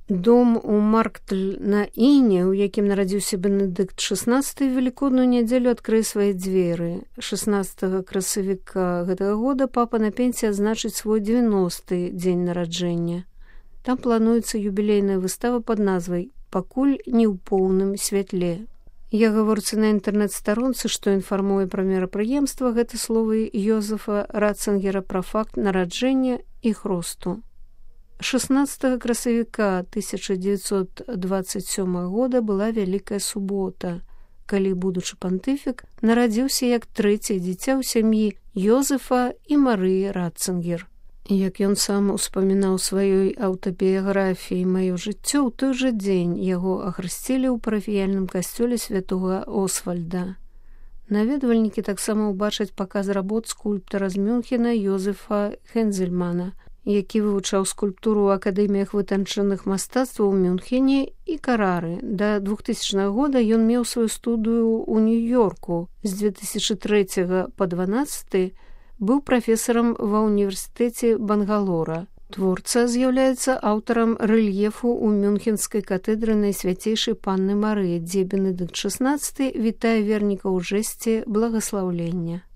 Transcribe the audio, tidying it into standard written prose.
Дом у Марктль на Іне, у якім нарадзіўся Бенедыкт XVI, велікодную нядзелю адкрые свае дзверы. 16 красавіка гэтага года папа на пенсіі адзначыць свой 90-й дзень нараджэння. Там плануецца юбілейная выстава пад назвай «Пакуль не ў поўным святле». Я гаворцы на інтэрнэт-старонцы, што інфармуе пра мерапрыемства, гэта словы Йозефа Ратцингера пра факт нараджэння і хросту. 16 красавіка 1927 года была Вялікая субота, калі будучы пантыфік нарадзіўся як трэцяе дзіця ў сям'і Йозефа і Марыі Ратцингер. Як ён сам успамінаў сваёй аўтабіяграфіі «Маё жыццё», ў той жа дзень яго ахрысцілі ў парафіяльным касцёле святога Освальда. Наведвальнікі таксама ўбачаць паказ работ скульптара з Мюнхена Йозефа Хензельмана, які вывучаў скульптуру ў акадэміях вытанчаных мастацтваў у Мюнхене і Карары. Да 2000 года ён меў сваю студыю ў Нью-Йорку. З 2003 па 2012 быў прафесарам ва ўніверсітэце Бангалора. Творца з'яўляецца аўтарам рэльефу ў Мюнхенскай катедры Найсвяцейшай Панны Марыі, дзе Бенедыкт XVI вітае вернікаў у жэсце благаслаўлення.